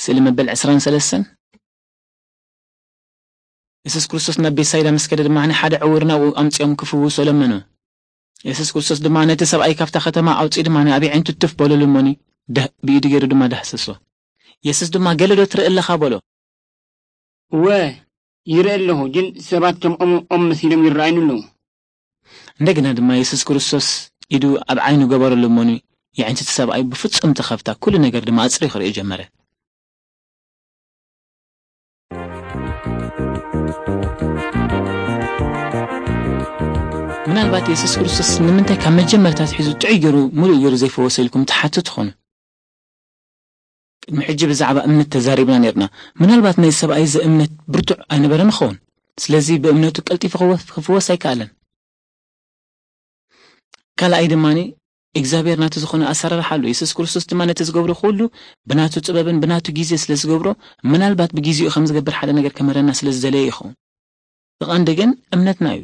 ስእሊ መበል ዕስራን ሰለስተን። የሱስ ክርስቶስ ናብ ቤትሳይዳ ምስ ከደ ድማ ሓደ ዕውር ናብኡ ኣምጺኦም ክፍውሶ ለመኖ። የሱስ ክርስቶስ ድማ ነቲ ሰብኣይ ካብታ ከተማ ኣውጺኡ ድማ ኣብ ኣዒንቱ ትፍ በሎ ልመኒ፣ ዳህ-፣ ብኢዱ ገይሩ ድማ ዳህሰሶ። የሱስ ድማ፣ "ገለ ዶ ትርኢ ኣለኻ?" በሎ። "እወ፣ ይርኢ ኣለኹ፣ ግን ሰባት ከም ኦም፣ ኦም መሲሎም ይረኣዩኒ ኣለዉ።" እንደገና ድማ የሱስ ክርስቶስ ኢዱ ኣብ ዓይኑ ገበረሉ እሞኒ፣ የዕንቲ እቲ ሰብኣይ ብፍጹም ተኸፍታ፣ ኩሉ ነገር ድማ ኣጽርዩ ክርኢ ጀመረ። ምናልባት የሱስ ክርስቶስ ንምንታይ ካብ መጀመርታ ኣትሒዙ ጥዑይ ገይሩ፣ ምሉእ ገይሩ ዘይፈወሰ ኢልኩም ትሓቱ ትኾኑ። ቅድሚ ሕጂ ብዛዕባ እምነት ተዛሪብና ነርና። ምናልባት ናይ ሰብኣይ እዚ እምነት ብርቱዕ ኣይነበረን ይኸውን። ስለዚ ብእምነቱ ቀልጢፉ ክወ-፣ ክፍወስ ኣይከኣለን። ካልኣይ ድማ እግዚኣብሔር ናቱ ዝኾነ ኣሰራርሓ ኣሎ። የሱስ ክርስቶስ ድማ ነቲ ዝገብሮ ኩሉ ብናቱ ጥበብን ብናቱ ግዜ ስለ ዝገብሮ፣ ምናልባት ብግዜኡ ከም ዝገብር ሓደ ነገር ከምህረና ስለ ዝደለየ ይኸውን። እቲ ቀንዲ ግን እምነትና እዩ።